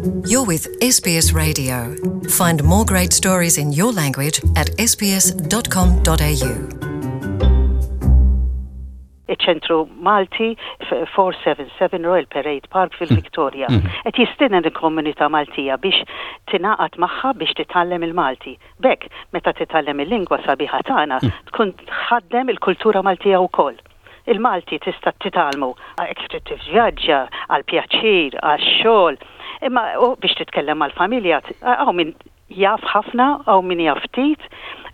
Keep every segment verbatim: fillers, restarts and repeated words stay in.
You're with S B S Radio. Find more great stories in your language at S B S dot com dot A U. Iċ-Ċentru Malti, four seven seven Royal Parade Park fil-Victoria. Qed jistieden il-komunità Maltija biex tingħaqad magħha biex titgħallem il-Malti. B'hekk, meta titgħallem il-lingwa sabiħa tagħna, tkun tħaddem il-kultura Maltija wkoll. Il-Malti tista' titgħallmu jekk trid tivvjaġġa, għal pjaċir, għal xogħol, imma u biex titkellem mal-familja, hawn min jaf ħafna, hawn min jaf ftit,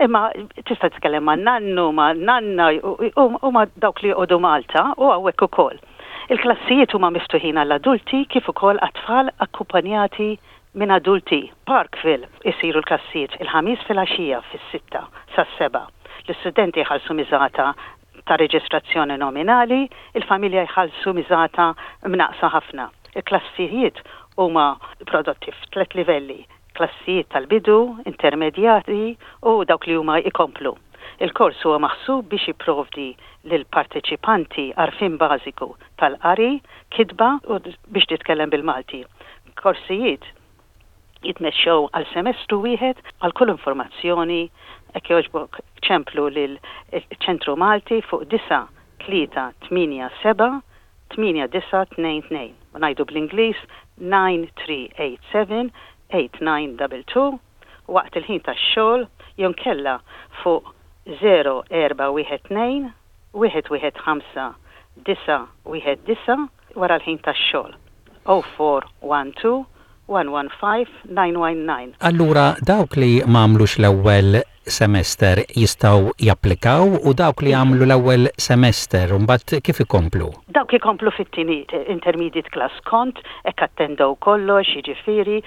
imma tista' titkellem ma' nannu, ma' nanna u ma' dawk li joqogħdu Malta u hawnhekk ukoll. Il-klassijiet huma miftuħin għall-adulti kif ukoll għat-tfal akkumpanjati minn adulti. Parkville isiru l-klassijiet il-Ħamis fil-għaxija fis-sitta sas-sebgħa. L-istudenti jħallsu miżata ta' reġistrazzjoni nominali, il-familja jħallsu miżata mnaqsa ħafna. Il-klassijiet huma prodotti f'tlet livelli: klassijiet tal-bidu, intermedjati u dawk li huma ikomplu. Il-kors huwa maħsub biex jipprovdi lil parteċipanti għarfien bażiku tal-qari, kitba u biex titkellem bil-Malti. Korsijiet jitmexxew għal semestru wieħed. Għal kull informazzjoni, jekk jogħġbok ċemplu lil ċentru Malti fuq disa' tlieta tmienja seba' tmienja disa' tnejn tnejn. U ngħidu bl-Ingliż nine three eight seven eight nine two two waqt il-ħin tax-xogħol, jew inkella fuq zero erba' wieħed tnejn wieħed wieħed ħamsa disa' wieħed disa' wara l-ħin tax-xogħol. zero four one two one one five nine one nine. Allura dawk li m'għamlux l-ewwel semester jistgħu japplikaw, u dawk li għamlu l-ewwel semester mbagħad kif ikomplu? Dawk ikomplu fit-tieni intermediate class kont, hekk attendew kollox, jiġifieri,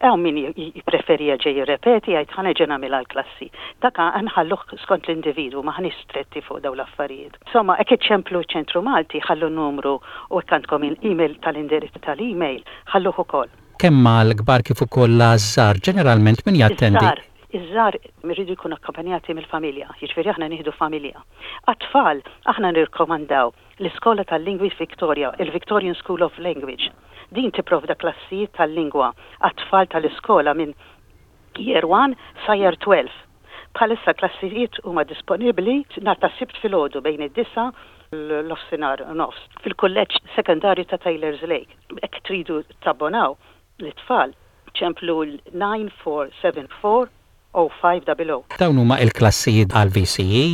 hawn min jippreferi jerġa' jirrepeti, jgħid ħa nerġa' nagħmilha l-klassi. Dak nħalluh skont l-individwu, m'aħniex stretti fuq dawn l-affarijiet. Insomma, hekk iċċemplu ċentru Malti, ħallu numru, u hekk għandkom il-email tal-indirizz tal-email, ħalluh ukoll. Kemm mal-kbar kif ukoll l-żgħar, ġeneralment min jattendi? Iż-żgħar iridu jkunu akkompanjati mill-familja, jiġifieri aħna nieħdu familja. Għat-tfal aħna nirkomandaw l-Iskola tal-Lingwi Victoria, il-Victorian School of Language. Din tipprovda klassijiet tal-lingwa għat-tfal tal-iskola minn Year one sa Year twelve. Bħalissa klassijiet huma disponibbli nhar ta' Sibt filgħodu bejn id-disgħa l-nofsinhar u nofs fil-kulleġġ sekondarju ta' Taylor's Lake. Jekk tridu tabbonaw l-tfal, ċemplu l-nine four seven four oh five double oh. Dawn huma il-klassijiet għal V C E?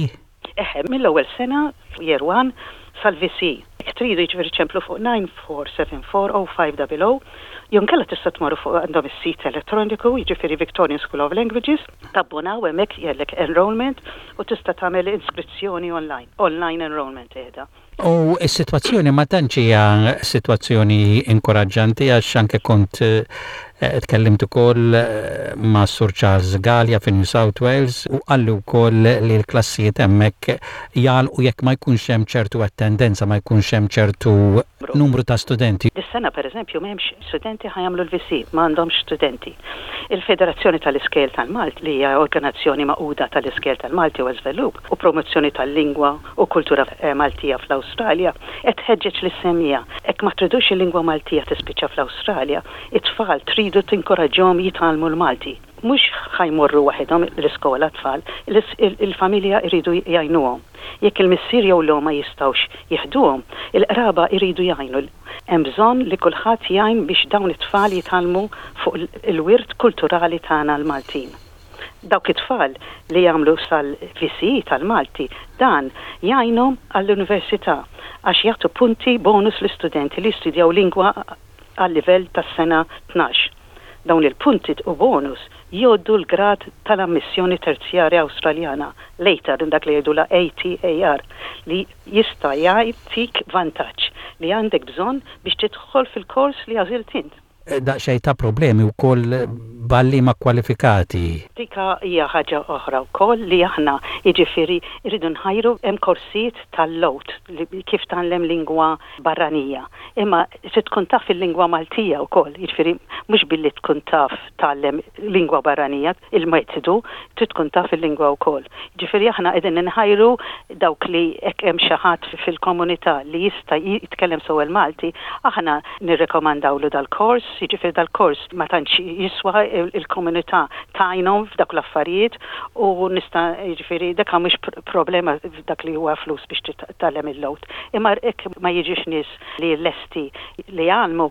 Eħe, mill-ewwel sena, Year one sal-V C E. Jekk tridu, jiġifieri ċemplu fuq nine four seven four oh five double oh, jew inkella tista' tmorru fuq għandhom is-sit elettroniku, jiġifieri Victorian School of Languages, tabbonaw hemmhekk jellek enrollment u tista' tagħmel iskrizzjoni online, online enrollment qiegħda. U s-sitwazzjoni ma tantx hija sitwazzjoni inkoraġġanti, għax anke kont eh, tkellimt ukoll eh, ma' Sur Charles Gallia fi New South Wales u qalli wkoll li l-klassijiet hemmhekk jagħlqu jekk ma jkunx hemm ċertu attendenza, ma jkunx hemm ċertu numru ta' studenti. Dis-sena, pereżempju, m'hemmx studenti ħa jagħmlu l-V C E, m'għandhomx studenti. Il-Federazzjoni tal-Iskejjel tal-Malti, li hija organizzazzjoni magħquda tal-Iskejjel tal-Malti u żvilupp u promozzjoni tal-lingwa u kultura eh, Maltija fl-Awstralja, qed tħeġġeġ lis-semmiegħa. Hekk ma tridux il-lingwa Maltija tispiċċa fl-Awstralja, it-tfal tridu tinkoraġġhom jitgħallmu l-Malti. Mhux ħa jmorru waħedhom l-iskola tfal, il-familja jridu jgħinuhom. Jekk il-missier jew l ma jistgħux jeħduhom, il-qraba jridu jgħinu. Hemm bżonn li kulħadd jgħin biex dawn it-tfal jitgħallmu fuq il-wirt kulturali tagħna l-Maltin. Dawk it-tfal li jagħmlu sal-V C E tal-Malti, dan jgħinhom għall-università għax jagħtu punti bonus l-istudenti li jistudjaw lingwa għal livell tas-sena tnax. Dawn il-punti u bonus jgħoddu l-grad tal-ammissjoni terzjarja Awstraljana, l-A T A R, dak li jgħidu la A T A R, li jista' jagħtik vantaġġ li għandek bżonn biex tidħol fil-kors li għażilt int. Daqsxejn ta' problemi wkoll b'għalliema kwalifikati. Dika hija ħaġa oħra wkoll li aħna, jiġifieri, rridu nħajru. Hemm korsijiet tal-L A U T li kif tgħallem lingwa barranija. Imma se tkun taf il-lingwa Maltija wkoll, jiġifieri mhux billi tkun taf tgħallem lingwa barranija, il-metodu, trid tkun taf il-lingwa wkoll. Jiġifieri aħna qegħdin nħajru dawk li hekk hemm xi ħadd fil-komunità li jista' jitkellem sew il-Malti, aħna nirrekomandawlu dal-kors. Jiġifieri dal-kors ma tantx jiswa, il-komunità tgħinhom f'dak l-affarijiet u nista' jiġifieri dak mhux problema dak li huwa flus biex titgħallem il-L O T. Imma hekk ma jiġix nies li lesti li jgħallmu,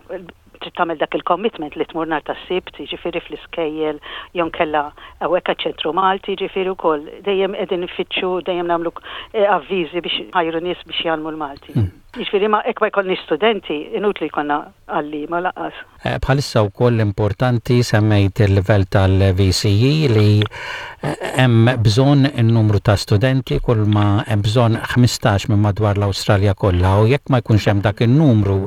trid tagħmel dak il-commitment li tmur nhar tas-Sibt, jiġifieri fl-iskejjel jew inkella hawnhekk ċentru Malti, jiġifieri wkoll dejjem qegħdin nfittxu, dejjem nagħmlu eh, avviżi biex ħajru nies biex jgħallmu l-Malti. Mm. Jiġifieri ma hekk ma jkollniex studenti, inutli jkollna għalliema lanqas. Eh, bħalissa wkoll importanti semmejt il-livell tal-V C E li eh, hemm bżonn in-numru ta' studenti, kull ma hemm bżonn ħmistax minn madwar l-Awstralja kollha, u jekk ma jkunx hemm dak in-numru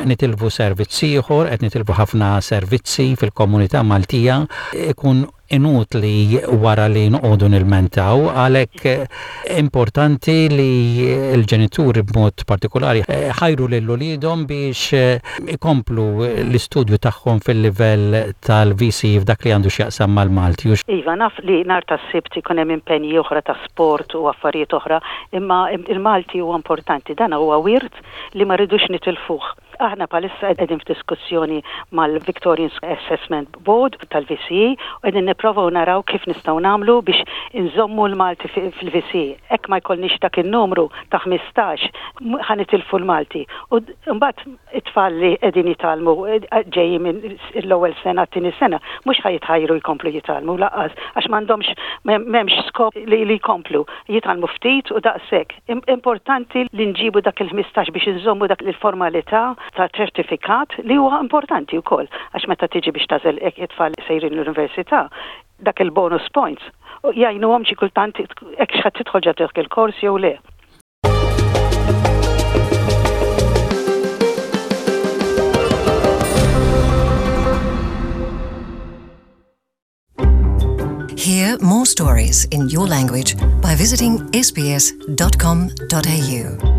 nitilfu servizzi ieħor, qed nitilfu ħafna servizzi fil-komunità Maltija, ikun inutli wara li noqogħdu nilmentaw. Għalhekk eh, importanti li l-ġenituri b'mod partikolari eh, ħajru lil uliedhom biex eh, ikomplu l-istudju tagħhom fil-livell tal-V C f'dak li għandu x'jaqsam mal-Malti. Iva, naf li nhar tas-Sibt ikun hemm impenji oħra ta' sport u affarijiet oħra, imma il-Malti huwa importanti, dan huwa wirt li ma rridux nitilfuh. Aħna bħalissa qegħdin f'diskussjoni mal-Victorian Assessment Board tal-V C E u qegħdin nipprovaw naraw kif nistgħu nagħmlu biex inżommu l-Malti fil-V C E. Hekk ma jkollniex dak in-numru ta' ħmistax, ħa nitilfu l-Malti. U mbagħad it-tfal li qegħdin jitgħallmu ġejjin minn l-ewwel sena, t-tieni sena, mhux ħa jitħajru jkomplu jitgħallmu lanqas għax m'għandhomx, m'hemmx skop li, li jkomplu jitgħallmu ftit u daqshekk. Importanti li nġibu dak il-ħmistax biex inżommu dak il-formalità ta' ċertifikat li huwa importanti wkoll għax meta tiġi biex tagħżel it-tfal sejrin l-università, dak il-bonus points jgħinuhom xi kultant hekk x'ħadd tidħol ġo dak il-kors jew le. Hear more stories in your language by visiting S B S dot com dot A U.